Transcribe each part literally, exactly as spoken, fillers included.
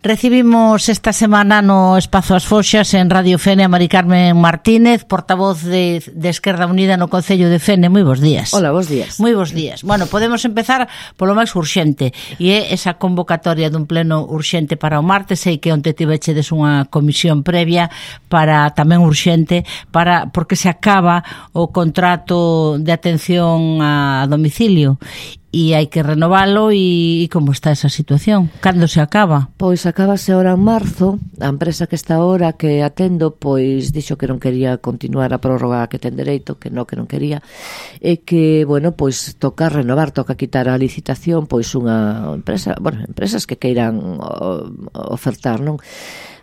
Recibimos esta semana no Espazo As Foxas en Radio Fene a Mari Carmen Martínez, portavoz de, de Esquerda Unida no Concello de Fene. Moi bons días. Hola, bons días. Moi bons días. Bueno, podemos empezar polo máis urxente, e é esa convocatoria dun pleno urxente para o martes. Sei que onte tivechedes unha comisión previa para tamén urxente, para porque se acaba o contrato de atención a domicilio. E hai que renovalo e, e como está esa situación? Cando se acaba? Pois acabase ahora en marzo. A empresa que está ahora que atendo pois dixo que non quería continuar a prórroga que ten dereito, que non, que non quería, e que, bueno, pois toca renovar, toca quitar a licitación pois unha empresa, bueno, empresas que queiran ofertar, non?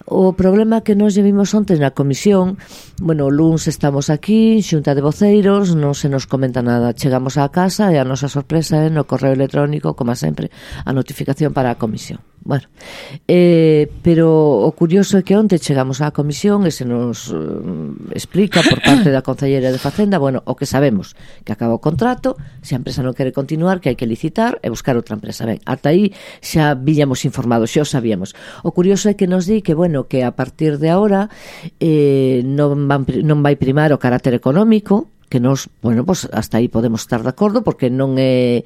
O problema que nos llevimos onte na comisión, bueno, o luns estamos aquí, xunta de voceiros, non se nos comenta nada. Chegamos á casa e a nosa sorpresa é no correo electrónico, como sempre, a notificación para a comisión. Bueno, eh, pero o curioso é que onte chegamos á comisión e se nos eh, explica por parte da Concelleira de Facenda, bueno, o que sabemos, que acaba o contrato, se a empresa non quere continuar, que hai que licitar e buscar outra empresa. Ben, ata aí xa víamos informados, xa o sabíamos. O curioso é que nos di que, bueno, que a partir de agora eh, non, van, non vai primar o carácter económico, que nos, bueno, pues hasta aí podemos estar de acordo, porque non é...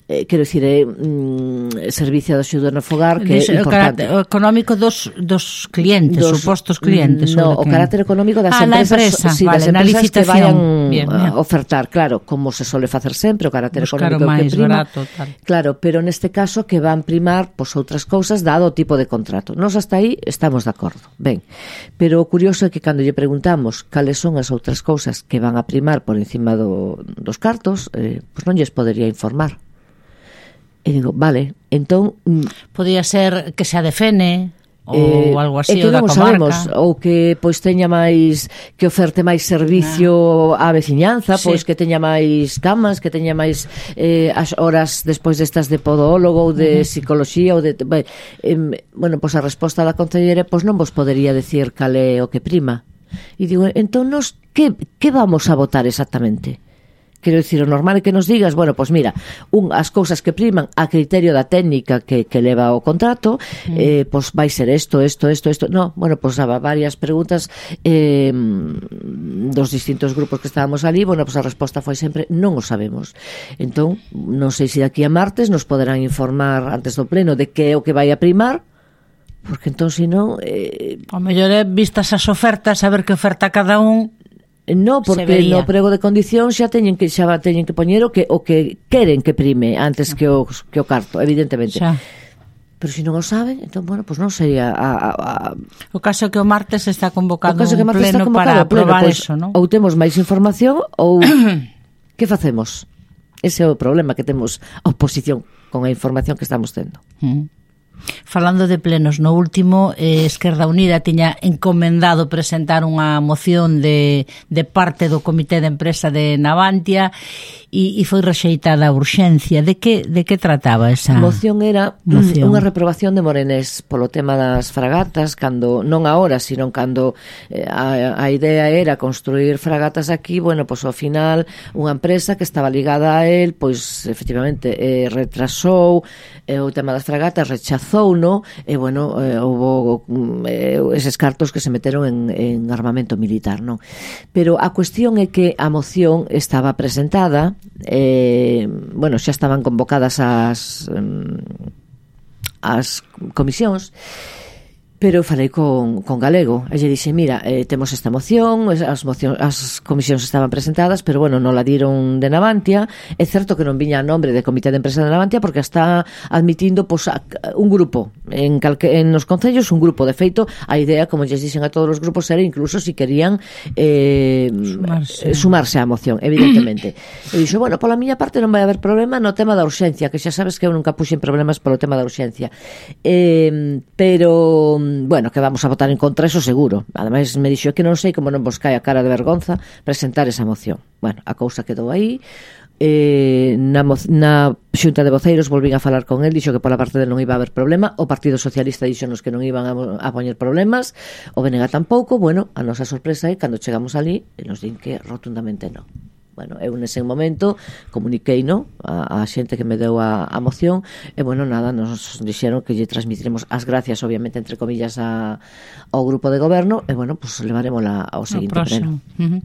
Eh, quero dicir, é mm, servicio de axuda no fogar que é importante. O económico dos, dos clientes, dos supostos clientes. No, o carácter económico das ah, empresas, empresa, sí, vale, das empresas que vayan bien, bien. a ofertar, claro, como se sole facer sempre, o carácter buscar económico máis que prima. Barato, tal. Claro, pero neste caso que van primar pois outras cousas dado o tipo de contrato. Nos hasta aí estamos de acordo. Ben, pero o curioso é que cando lle preguntamos cales son as outras cousas que van a primar por encima do, dos cartos, eh, pois non lles podería informar. E digo, vale, entón... Podía ser que se adefene ou eh, algo así, é que ou da non comarca. Sabemos, ou que pois teña máis, que oferte máis servicio ah. á veciñanza, pois sí. Que teña máis camas, que teña máis eh, as horas despois destas de podólogo ou de uh-huh. psicoloxía ou de... Bueno, eh, bueno, pois a resposta da Concelleira pois non vos podería decir cal é o que prima. E digo, entón nos, que, que vamos a votar exactamente? Quero dicir, o normal é que nos digas, bueno, pois mira, un, as cousas que priman a criterio da técnica que, que leva o contrato, mm. eh, pois vai ser isto, isto, isto, isto. No, bueno, pois haba varias preguntas eh, dos distintos grupos que estábamos ali, bueno, pois a resposta foi sempre, non o sabemos. Entón, non sei se daqui a martes nos poderán informar antes do pleno de que é o que vai a primar, porque entón, se non... Eh... O mellor é vistas as ofertas, saber que oferta cada un... No, porque no prego de condición xa teñen que xa teñen que poñer o que o que queren que prime antes que o que o carto, evidentemente. Xa. Pero se non o saben, entón, bueno, pois pues non sería a, a, a... O caso é que o martes está convocado un pleno para aprobar pues, eso, non? Ou temos máis información ou que facemos? Ese é o problema que temos a oposición con a información que estamos tendo. Mm. Falando de plenos, no último eh, Esquerda Unida tiña encomendado presentar unha moción de, de parte do Comité de Empresa de Navantia e, e foi rexeitada a urxencia. De que, de que trataba esa moción? Era moción? Unha reprobación de Morenés polo tema das fragatas, cando non agora, sino cando eh, a, a idea era construir fragatas aquí, bueno, pois ao final unha empresa que estaba ligada a él, pois efectivamente eh, retrasou eh, o tema das fragatas, rechazou no, e bueno, eh, houve eh, eses cartos que se meteron en, en armamento militar, non? Pero a cuestión é que a moción estaba presentada, eh, bueno, xa estaban convocadas as um, as comisións, pero falei con, con Galego e lle dixe, mira, eh, temos esta moción, as, moción, as comisións estaban presentadas, pero bueno, non la dieron de Navantia. É certo que non viña a nombre de Comité de Empresa de Navantia porque está admitindo pues, un grupo en, calque, en os concellos, un grupo, de feito a idea, como lles dixen a todos os grupos, era incluso si querían eh, sumarse. sumarse á moción, evidentemente. E dixo, bueno, pola miña parte non vai haber problema no tema da urxencia, que xa sabes que eu nunca puxen problemas polo tema da urxencia, eh, pero bueno, que vamos a votar en contra, eso seguro. Ademais me dixo que non sei como non vos cae a cara de vergonza presentar esa moción. Bueno, a cousa quedou aí. Eh, na, na xunta de voceiros volvín a falar con el, dixo que pola parte del non iba a haber problema. O Partido Socialista dixonos que non iban a, a poñer problemas, o B N G tampouco. Bueno, a nosa sorpresa é cando chegamos ali e nos din que rotundamente non. Bueno, eu nese momento comuniquei, no, a, a xente que me deu a, a moción, e bueno, nada, nos dixeron que lle transmitiremos as gracias, obviamente, entre comillas, a, ao grupo de goberno, e bueno, pues levarémola ao seguinte pleno. Uh-huh.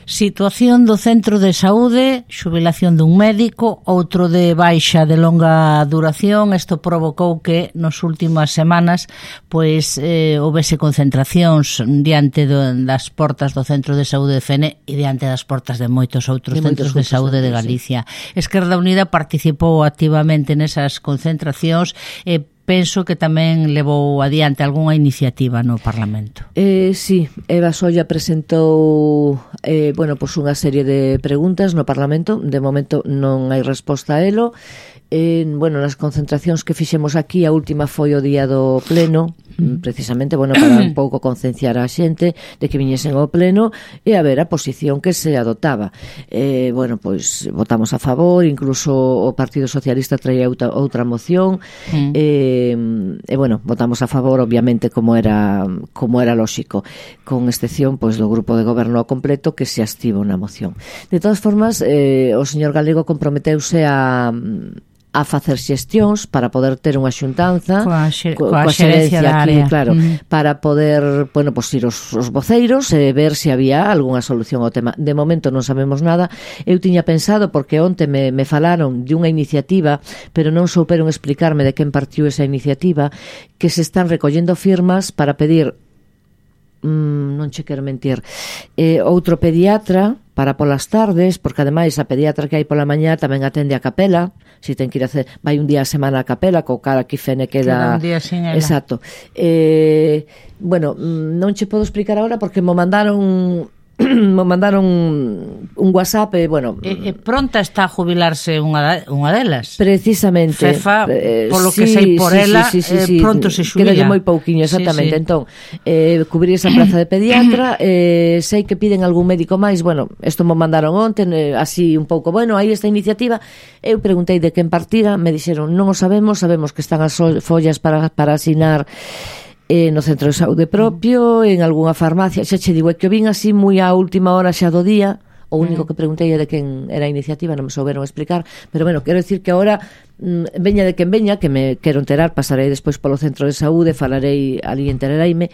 Situación do centro de saúde, xubilación dun médico, outro de baixa de longa duración. Isto provocou que nas últimas semanas pois eh, houvese concentracións diante do, das portas do centro de saúde de Fene e diante das portas de moitos outros outros de centros de saúde de Galicia. Sí. Esquerda Unida participou activamente nesas concentracións e penso que tamén levou adiante algunha iniciativa no Parlamento. Eh, sí, Eva Solla presentou eh, bueno, pues unha serie de preguntas no Parlamento. De momento non hai resposta a elo. Eh, bueno, nas concentracións que fixemos aquí, a última foi o día do pleno, precisamente, bueno, para un pouco concienciar a xente de que viñesen ao pleno e a ver a posición que se adoptaba. Eh, bueno, pois votamos a favor, incluso o Partido Socialista traía outra, outra moción, mm. eh, e bueno, votamos a favor, obviamente, como era como era lóxico, con excepción pois do grupo de goberno ao completo que se abstivo na moción. De todas formas, eh, o señor Galego comprometeuse a a facer xestións para poder ter unha xuntanza coa, xe, coa, coa xerencia da aquí, área, claro, mm. para poder, bueno, pues ir os, os voceiros e ver se había algunha solución ao tema. De momento non sabemos nada. Eu tiña pensado, porque onte me, me falaron de unha iniciativa, pero non souperon explicarme de quen partiu esa iniciativa, que se están recollendo firmas para pedir, mm, non che quero mentir, eh, outro pediatra para polas tardes, porque ademais a pediatra que hai pola mañá tamén atende a capela, si ten que ir a hacer, vai un día a semana a capela, co cara aquí Fene queda... queda un día sin ela. Exacto. Eh, bueno, non che podo explicar agora porque mo mandaron... me mandaron un WhatsApp e, bueno... E, e pronta está a jubilarse unha, unha delas. Precisamente. Fefa, eh, polo sí, que sei por sí, ela, sí, sí, eh, sí, pronto se xubila. Queda moi pouquiño, exactamente. Sí, sí. Entón, eh, cubrir esa plaza de pediatra, eh, sei que piden algún médico máis, bueno, isto me mandaron onte, eh, así un pouco, bueno, aí esta iniciativa, eu preguntei de quen partira, me dixeron, non o sabemos, sabemos que están as follas para, para asinar eh, no centro de saúde propio, en algunha farmacia, xa che digo, é que o vin así moi á última hora xa do día, o único que preguntei é de quen era a iniciativa, non me souberon explicar, pero bueno, quero decir que agora mm, veña de quen veña, que me quero enterar, pasarei despois polo centro de saúde, falarei ali, enterareime,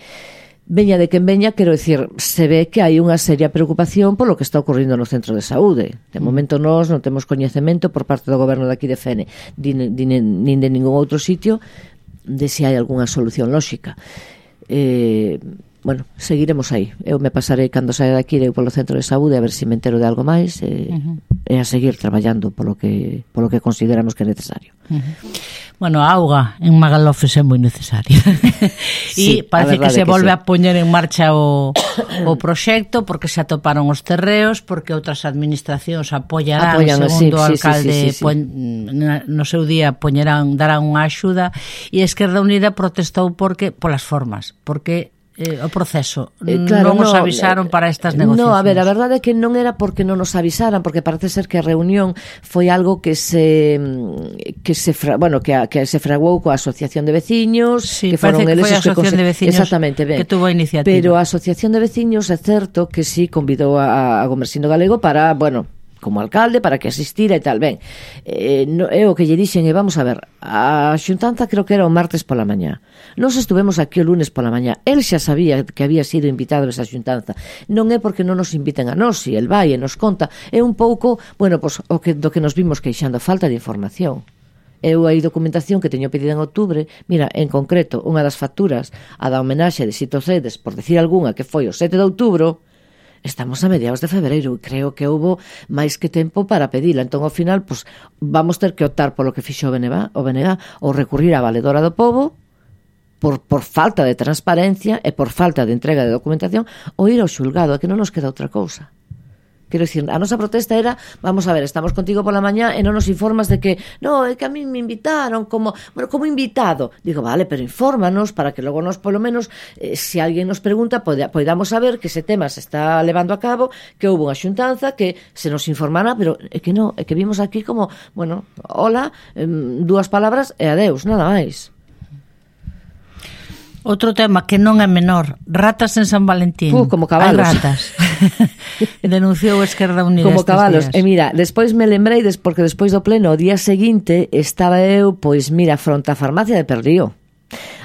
veña de quen veña, quero decir, se ve que hai unha seria preocupación polo que está ocorrendo no centro de saúde. De momento nós non temos coñecemento por parte do goberno daqui de Fene, nin de ningún outro sitio, de se hai algunha solución lóxica. Eh, bueno, seguiremos aí. Eu me pasarei cando saia daqui eu polo centro de saúde a ver se me entero de algo máis e, uh-huh. e a seguir traballando polo que polo que consideramos que é necesario. Uh-huh. Bueno, a auga en Magalofes é moi necesaria. E sí, parece que se que volve sí. a poñer en marcha o, o proxecto porque se atoparon os terreos, porque outras administracións apoiarán, Apoyan, segundo sí, o alcalde sí, sí, sí, sí. Pon, no seu día poñerán, darán unha axuda, e a Esquerda Unida protestou porque polas formas, porque Eh, o proceso, eh, claro, non nos no, avisaron para estas negociacións. No, a ver, a verdade é que non era porque non nos avisaran, porque parece ser que a reunión foi algo que se que se fra, bueno, que, a, que se fraguou coa Asociación de Veciños, sí, que foron eles que foi a Asociación de Veciños exactamente, ben, que tuvo a iniciativa. Pero a Asociación de Veciños é certo que sí convidou a, a Gomersindo Galego para, bueno, como alcalde, para que asistira e tal, ben, eh, no, é o que lle dixen, e vamos a ver, a xuntanza creo que era o martes pola mañá, nós estuvemos aquí o lunes pola mañá, el xa sabía que había sido invitado a esa xuntanza, non é porque non nos inviten a nós, si el vai e nos conta, é un pouco, bueno, pues, o que, do que nos vimos queixando, falta de información. Eu hai documentación que teño pedida en outubro, mira, en concreto, unha das facturas, a da homenaxe de Sito Cedes, por decir algunha, que foi o sete de outubro, estamos a mediados de febreiro e creo que houbo máis que tempo para pedila. Entón, ao final, pues, vamos ter que optar polo que fixo o B N G, o B N G ou recurrir á Valedora do Pobo por, por falta de transparencia e por falta de entrega de documentación ou ir ao xulgado, a que non nos queda outra cousa. Quero dicir, a nosa protesta era, vamos a ver, estamos contigo pola mañá e non nos informas de que, no, é que a mí me invitaron como, bueno, como invitado. Digo, vale, pero infórmanos para que logo nos, polo menos, eh, se alguén nos pregunta, poida, podamos saber que ese tema se está levando a cabo, que houve unha xuntanza, que se nos informará, pero é que non, é que vimos aquí como, bueno, hola, eh, dúas palabras e adeus, nada máis. Outro tema que non é menor, ratas en San Valentín. Uh, como cabalos. Hai ratas. Denunciou a Esquerda Unida como cabalos. días. E mira, despois me lembrei, des, porque despois do pleno, o día seguinte, estaba eu, pois mira, fronte á farmacia de Perlío,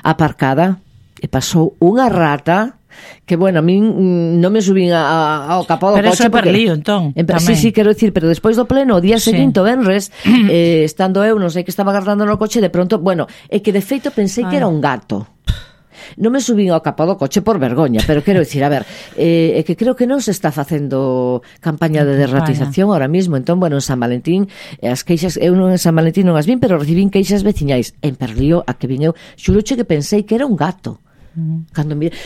aparcada, e pasou unha rata que, bueno, a min non me subín a, a, ao capó do pero coche. Pero eso é Perlío, entón. En, sí, sí, quero dicir, pero despois do pleno, o día sí. seguinte, o venres, eh, estando eu, non sei que estaba agardando no coche, de pronto, bueno, é que de feito pensei Ay. que era un gato. Non me subín ao capó do coche por vergoña, pero quero dicir, a ver, é eh, que creo que non se está facendo campaña de derratización ahora mismo. Entón, bueno, en San Valentín, as queixas, eu non en San Valentín non as vin, pero recibín queixas veciñais. En Perlío, a que vin eu, xuroche que pensei que era un gato. Mm. Cando mire,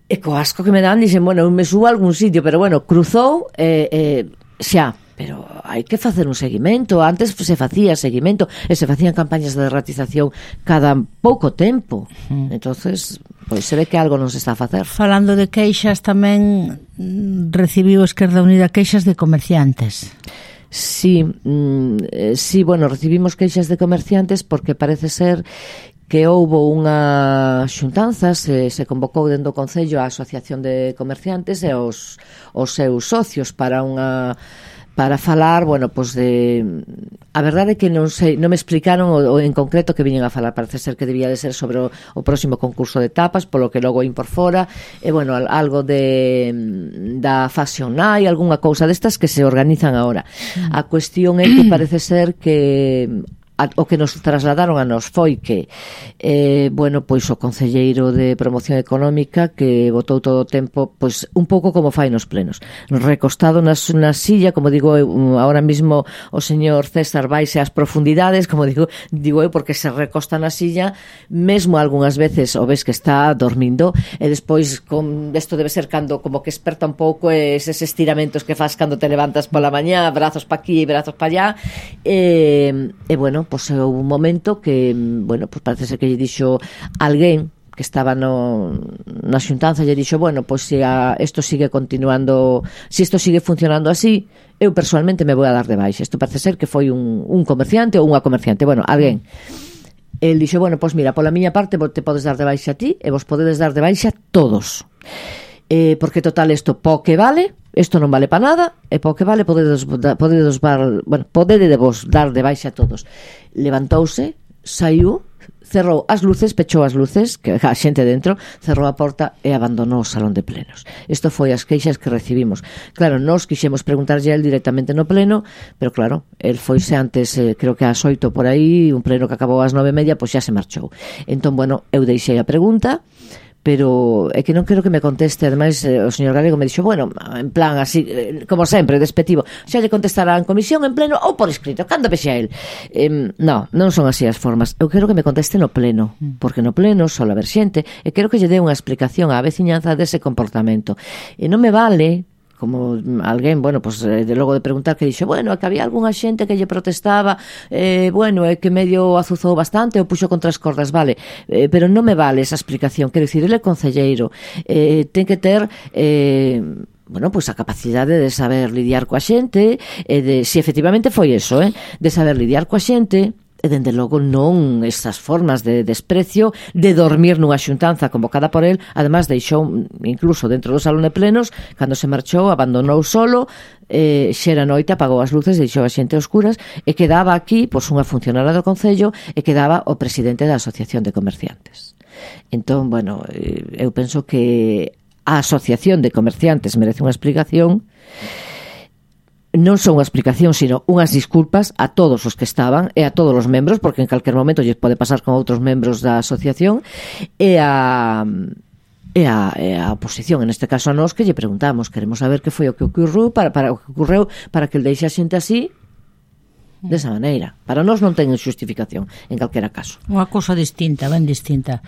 e co asco que me dan, dixen, bueno, eu me subo a algún sitio, pero bueno, cruzou, eh, eh, xa, pero hai que facer un seguimento. Antes se facía seguimento e se facían campañas de derratización cada pouco tempo. Mm. Entonces, pois se ve que algo non se está a facer. Falando de queixas, tamén recibiu Esquerda Unida queixas de comerciantes. Sí, mm, sí, bueno, recibimos queixas de comerciantes porque parece ser que houbo unha xuntanza, se, se convocou dentro do Concello a Asociación de Comerciantes e os, os seus socios para unha para falar, bueno, pois de a verdade é que non sei, non me explicaron o, o en concreto que viñen a falar. Parece ser que debía de ser sobre o, o próximo concurso de tapas, polo que logo in por fora, e bueno, algo de da Fashion Night, algunha cousa destas que se organizan agora. A cuestión é que parece ser que a, o que nos trasladaron a nos foi que eh, bueno, pois o concelleiro de promoción económica que botou todo o tempo, pois un pouco como fai nos plenos, recostado nas, na silla, como digo eu, ahora mismo o señor César vaise ás profundidades, como digo, digo eu, porque se recosta na silla, mesmo algunhas veces o ves que está dormindo, e despois con isto debe ser cando como que esperta un pouco eses estiramentos que faz cando te levantas pola mañá, brazos pa aquí e brazos pa allá, e, e bueno, pois houve un momento que, bueno, pois parece ser que lle dixo alguén que estaba no, na xuntanza, lle dixo, bueno, pois se a, isto sigue continuando, se isto sigue funcionando así, eu personalmente me vou a dar de baixa. Isto parece ser que foi un, un comerciante ou unha comerciante, bueno, alguén. El dixo, bueno, pois mira, pola miña parte te podes dar de baixa a ti e vos podedes dar de baixa todos. Eh, porque total isto po que vale, isto non vale para nada, e po que vale podedes, podedes, bueno, podedes vos dar de baixa a todos. Levantouse, saiu, cerrou as luces, pechou as luces, que a xente dentro, cerrou a porta e abandonou o salón de plenos. Isto foi as queixas que recibimos. Claro, nós quixemos preguntarlle a él directamente no pleno, pero claro, el foise antes, eh, creo que ás oito por aí, un pleno que acabou ás nove e media, pois xa se marchou. Entón, bueno, eu deixei a pregunta, pero é que non quero que me conteste. Ademais, eh, o señor Galego me dixo, bueno, en plan así, eh, como sempre, despectivo, xa lle contestará en comisión, en pleno ou por escrito, cando vexe a él. Eh, non, non son así as formas. Eu quero que me conteste no pleno, porque no pleno só haber xente, e quero que lle dé unha explicación á veciñanza dese comportamento. E non me vale como alguén, bueno, pues, de logo de preguntar que dixo, bueno, é que había algunha xente que lle protestaba, eh, bueno, é que medio azuzou bastante ou puxo contra as cordas, vale, eh, pero non me vale esa explicación. Quero dicir, ele é concelleiro, eh, ten que ter eh, bueno, pois pues a capacidade de saber lidiar coa xente, e de, si efectivamente foi eso, eh, de saber lidiar coa xente, e dende logo non esas formas de desprecio, de dormir nunha xuntanza convocada por el. Además deixou, incluso dentro do salón de plenos, cando se marchou, abandonou solo, eh, xera noite, apagou as luces, deixou a xente oscuras, e quedaba aquí, pois, unha funcionaria do Concello, e quedaba o presidente da Asociación de Comerciantes. Entón, bueno, eu penso que a Asociación de Comerciantes merece unha explicación, non son unha explicación, sino unhas disculpas a todos os que estaban e a todos os membros, porque en calquer momento lles pode pasar con outros membros da asociación, e a e a, e a oposición, en este caso a nós, que lle preguntamos, queremos saber que foi o que ocorreu para, para o que ocorreu para que el deixe a xente así, desa maneira. Para nós non ten xustificación en calquera caso. Unha cousa distinta, ben distinta.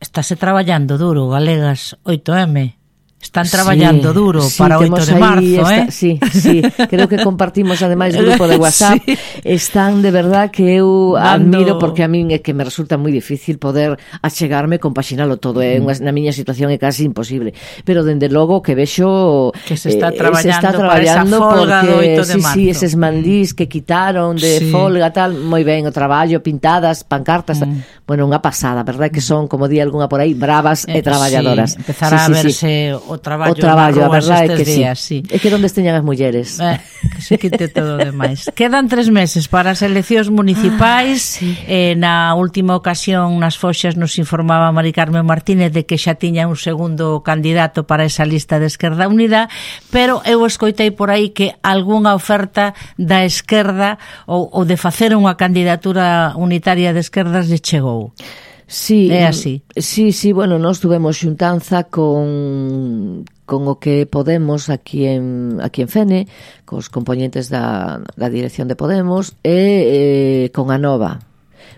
Estáse traballando duro, Galegas oito eme. Están traballando sí, duro sí, para oito de marzo, esta, eh? Sí, sí, creo que compartimos ademais grupo de WhatsApp. Sí. Están de verdad que eu Dando... admiro, porque a min é que me resulta moi difícil poder achegarme, compaxinalo todo, é mm. na miña situación é casi imposible, pero dende logo que vexo que se está traballando, eh, se está traballando para esa folga porque, do oito de sí, marzo. Sí, eses mandís que quitaron de sí. folga tal, moi ben, o traballo, pintadas, pancartas, mm. bueno, unha pasada, verdad que son, como di algunha por aí, bravas eh, e traballadoras. Sí, empezará sí, a verse sí, sí. o traballo, o traballo nas a rúas verdade é estes que días, sí. sí. É que onde esteñan as mulleres. Eh, que se quite todo o demais. Quedan tres meses para as eleccións municipais. Ah, sí. eh, na última ocasión nas Foxas nos informaba Mari Carmen Martínez de que xa tiña un segundo candidato para esa lista de Esquerda Unida, pero eu escoitei por aí que algunha oferta da esquerda ou, ou de facer unha candidatura unitaria de esquerdas lle chegou. Sí, é así. Sí, sí, bueno, nós tuvemos xuntanza con con o que Podemos aquí en aquí en Fene, cos componentes da, da dirección de Podemos e eh, con a Nova.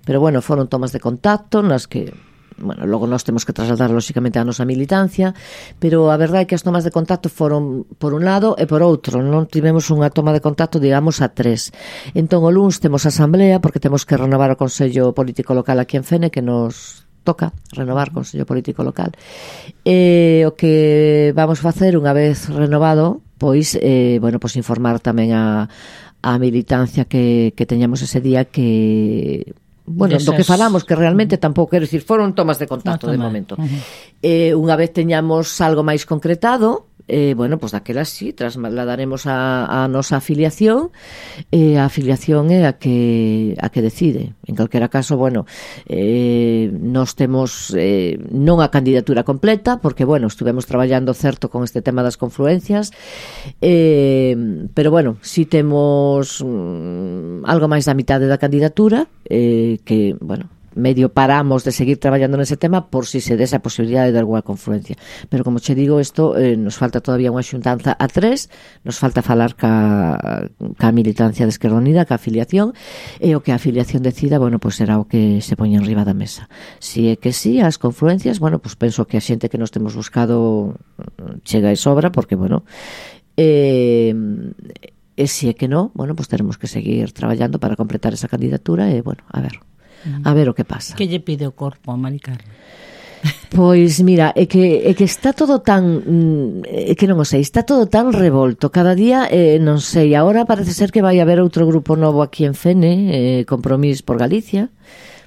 Pero bueno, foron tomas de contacto nas que, bueno, logo nós temos que trasladar lóxicamente a nosa militancia, pero a verdade é que as tomas de contacto foron por un lado e por outro, non tivemos unha toma de contacto, digamos, a tres. Entón o luns temos asamblea porque temos que renovar o Consello Político Local aquí en Fene, que nos toca renovar o Consello Político Local. E o que vamos facer unha vez renovado, pois, eh, bueno, pois informar tamén a, a militancia que, que teñamos ese día que... Bueno, Desas... do que falamos, que realmente tampouco quero dicir, foron tomas de contacto no, de momento. Uh-huh. Eh, unha vez teñamos algo máis concretado, eh, bueno, pois pues daquela sí, trasladaremos a, a nosa afiliación, e eh, a afiliación é a que a que decide. En calquera caso, bueno, eh, nós temos eh, non a candidatura completa, porque, bueno, estuvemos traballando certo con este tema das confluencias, eh, pero, bueno, sí temos mm, algo máis da mitade da candidatura, eh, que, bueno, medio paramos de seguir traballando nese tema por si se dese a posibilidade de alguna confluencia. Pero, como che digo, isto eh, nos falta todavía unha xuntanza a tres, nos falta falar ca, ca militancia de Esquerda Unida, ca afiliación, e o que a afiliación decida, bueno, pois será o que se poña en riba da mesa. Si é que sí, as confluencias, bueno, pois penso que a xente que nos temos buscado chega e sobra, porque, bueno, eh, e si é que non, bueno, pois teremos que seguir traballando para completar esa candidatura e, bueno, a ver... a ver o que pasa. Que lle pide o corpo a Mari Carmen? Pois mira, é que, é que está todo tan é que non o sei, está todo tan revolto cada día, eh, non sei, agora parece ser que vai haber outro grupo novo aquí en Fene, eh, Compromís por Galicia,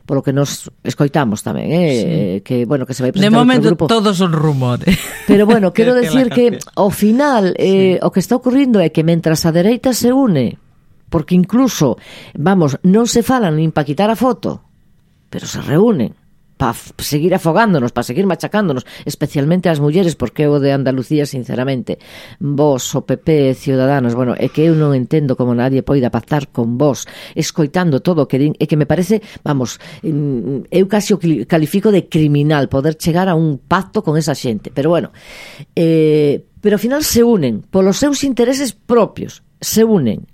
polo que nos escoitamos tamén, eh, sí. que bueno, que se vai presentar de momento outro grupo. Todos son rumores. Pero bueno, quero decir que ao final eh, sí. o que está ocurrindo é que mentras a dereita se une, porque incluso, vamos, non se falan nin pa quitar a foto, pero se reúnen para seguir afogándonos, para seguir machacándonos, especialmente as mulleres, porque o de Andalucía, sinceramente, vos, o P P, Ciudadanos, bueno, é que eu non entendo como nadie poida pactar con vos, escoitando todo o que din, é que me parece, vamos, eu casi o califico de criminal poder chegar a un pacto con esa xente, pero bueno, eh, pero ao final se unen, polos seus intereses propios, se unen.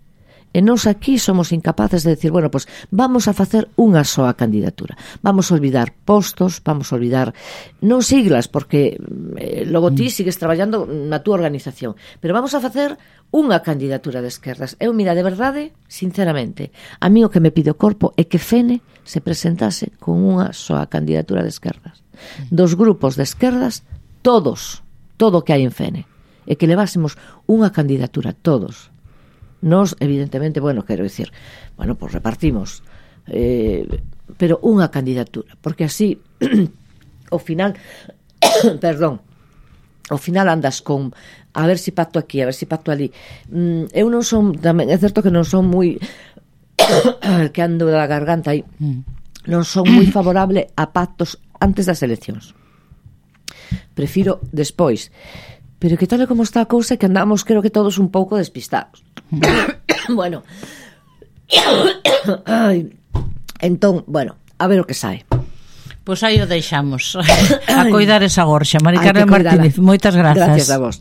E nós aquí somos incapaces de decir, bueno, pues vamos a facer unha soa candidatura. Vamos a olvidar postos, vamos a olvidar non siglas, porque eh, logo ti sigues traballando na túa organización, pero vamos a facer unha candidatura de esquerdas. Eu, mira, de verdade, sinceramente, a mí o que me pide o corpo é que Fene se presentase con unha soa candidatura de esquerdas. Dos grupos de esquerdas, todos, todo o que hai en Fene, e que levásemos unha candidatura, todos. Nos, evidentemente, bueno, quero dicir, bueno, pues repartimos, eh, pero unha candidatura, porque así, ao final, perdón, ao final andas con, a ver si pacto aquí, a ver si pacto ali. Mm, eu non son, tamén é certo que non son moi, que ando da garganta aí, non son moi favorable a pactos antes das eleccións. Prefiro despois. Pero que tal e como está a cousa, que andamos, creo que todos un pouco despistados. Bueno, Ay. Entón, bueno, a ver o que sae. Pois aí o deixamos. A coidar esa gorxa. Mari Carmen Martínez, moitas grazas. Gracias a vos.